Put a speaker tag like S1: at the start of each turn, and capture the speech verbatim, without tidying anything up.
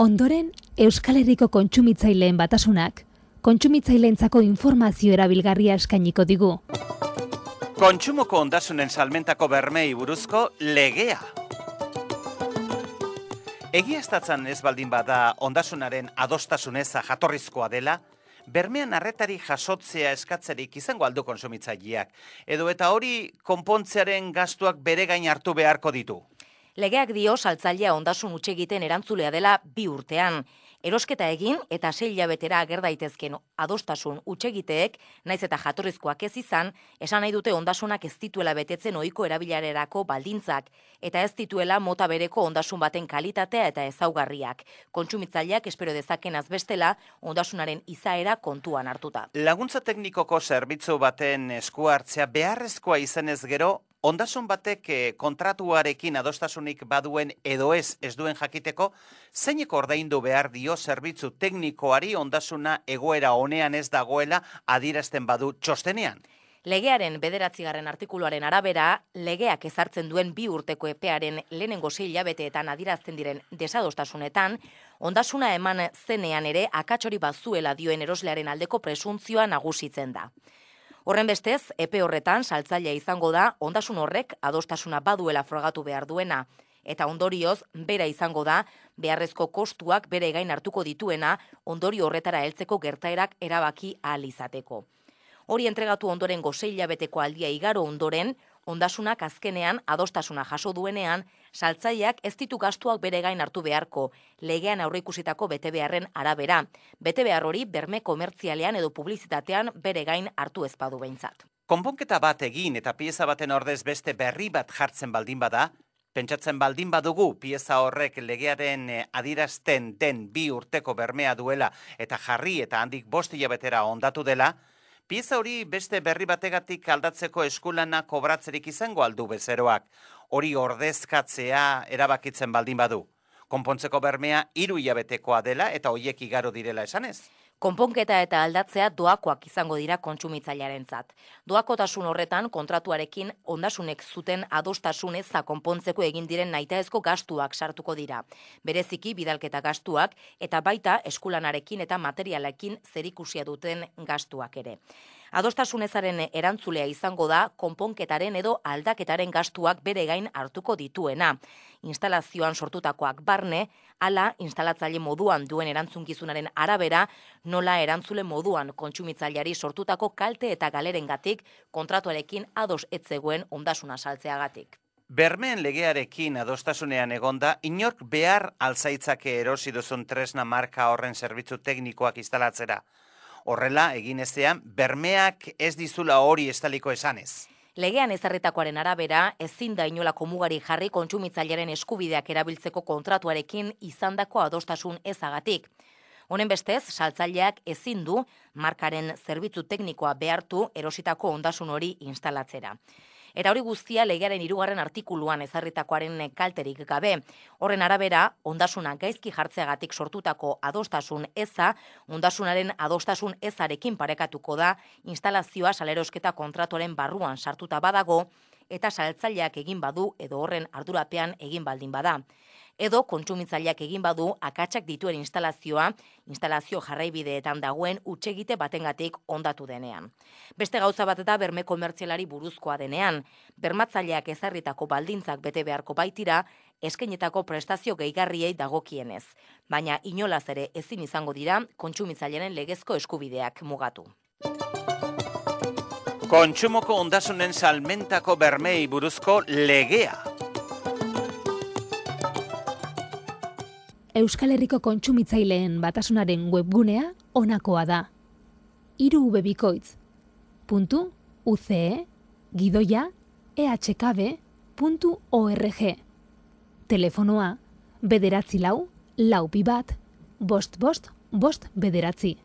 S1: Ondoren, Euskal Herriko kontsumitzaileen batasunak, kontsumitzaileentzako informazio erabilgarria eskainiko digu.
S2: Kontsumoko ondasunen salmentako bermei buruzko legea. Egiaztatzen ez baldin bada ondasunaren adostasuneza jatorrizkoa dela, bermean arretari jasotzea eskatzerik izango aldu kontsumitzaileak, edo eta hori konpontzearen gastuak bere gain hartu beharko ditu.
S3: Legeak dio saltzailea ondasun hutsegiten erantzulea dela bi urtean. Erosketa egin eta sei hilabetera ager daitezken adostasun hutsegiteek, naiz eta jatorrizkoak ez izan, esan nahi dute ondasunak ez dituela betetzen ohiko erabilerarako baldintzak, eta ez dituela mota bereko ondasun baten kalitatea eta ezaugarriak. Kontsumitzaileak espero dezakenaz bestela ondasunaren izaera kontuan hartuta.
S2: Laguntza teknikoko zerbitzu baten esku hartzea beharrezkoa izanez gero, ondasun batek kontratuarekin adostasunik baduen edo ez ez duen jakiteko, zeinek ordaindu behar dio zerbitzu teknikoari ondasuna egoera honean ez dagoela adierazten badu txostenean.
S3: Legearen bederatzigarren artikuluaren arabera, legeak ezartzen duen bi urteko epearen lehenengo sei hilabeteetan adierazten diren desadostasunetan, ondasuna eman zenean ere akatsori bazuela dioen eroslearen aldeko presuntzioa nagusitzen da. Horren bestez, epe horretan saltzailea izango da ondasun horrek adostasuna baduela frogatu behar duena, eta ondorioz bera izango da beharrezko kostuak bere gain hartuko dituena ondorio horretara heltzeko gertaerak erabaki ahal izateko. Hori entregatu ondoren sei hilabeteko aldia igaro ondoren, ondasunak azkenean adostasuna jaso duenean, saltzaileak ez ditu gastuak bere gain hartu beharko, legean aurreikusitako betebeharren arabera. Betebehar hori berme komertzialean edo publizitatean bere gain hartu ez badu behintzat.
S2: Konponketa bat egin eta pieza baten ordez beste berri bat jartzen baldin bada, pentsatzen baldin badugu pieza horrek legearen adierazten den bi urteko bermea duela eta jarri eta handik bost hilabetera ondatu dela, pieza hori beste berri bategatik aldatzeko eskulana kobratzerik izango aldu bezeroak, hori ordezkatzea erabakitzen baldin badu. Konpontzeko bermea hiru hilabetekoa dela eta hoiek igaro direla esanez.
S3: Konponketa eta aldatzea doakoak izango dira kontsumitzailearentzat. Doakotasun horretan kontratuarekin ondasunek zuten adostasun eza konpontzeko egin diren nahitaezko gastuak sartuko dira. Bereziki bidalketa gastuak eta baita eskulanarekin eta materialekin zerikusia duten gastuak ere. Adostasun ezaren erantzulea izango da konponketaren edo aldaketaren gastuak bere gain hartuko dituena. Instalazioan sortutakoak barne, ala instalatzaile moduan duen erantzunkizunaren arabera, nola erantzule moduan kontsumitzaileari sortutako kalte eta galerengatik kontratuarekin ados ez zegoen ondasuna saltzeagatik.
S2: Bermeen legearekin adostasunean egonda, inork behar alzaitzake erosi duzun tresna marka horren zerbitzu teknikoak instalatzera. Horrela, egin ezean, bermeak ez dizula hori estaliko esanez.
S3: Legean ezarritakoaren arabera, ezin da inolako mugari jarri kontsumitzailearen eskubideak erabiltzeko kontratuarekin izandako adostasun ezagatik. Honen bestez, saltzaileak ezin du markaren zerbitzu teknikoa behartu erositako ondasun hori instalatzera. Eta hori guztia legearen hirugarren artikuluan ezarritakoaren kalterik gabe. Horren arabera, ondasuna gaizki jartzeagatik sortutako adostasun eza, ondasunaren adostasun ezarekin parekatuko da, instalazioa salerosketa kontratuaren barruan sartuta badago, eta saltzaileak egin badu edo horren ardurapean egin baldin bada. Edo kontsumitzaileak egin badu akatsak dituen instalazioa, instalazio jarraibideetan dagoen hutsegite batengatik ondatu denean. Beste gauza bat da berme komertzialari buruzkoa denean, bermatzaileak ezarritako baldintzak bete beharko baitira, eskainetako prestazio gehigarriei dagokienez, baina inolaz ere ezin izango dira kontsumitzailearen legezko eskubideak mugatu.
S2: Kontsumoko ondasunen salmentako bermei buruzko legea.
S1: Euskal Herriko kontsumitzaileen batasunaren webgunea honakoa da. hiru u be bikoitz puntu u ce e gidoia e hache ka be puntu org. Telefonoa bederatzi lau, lau bi bat, bost bost, bost bederatzi.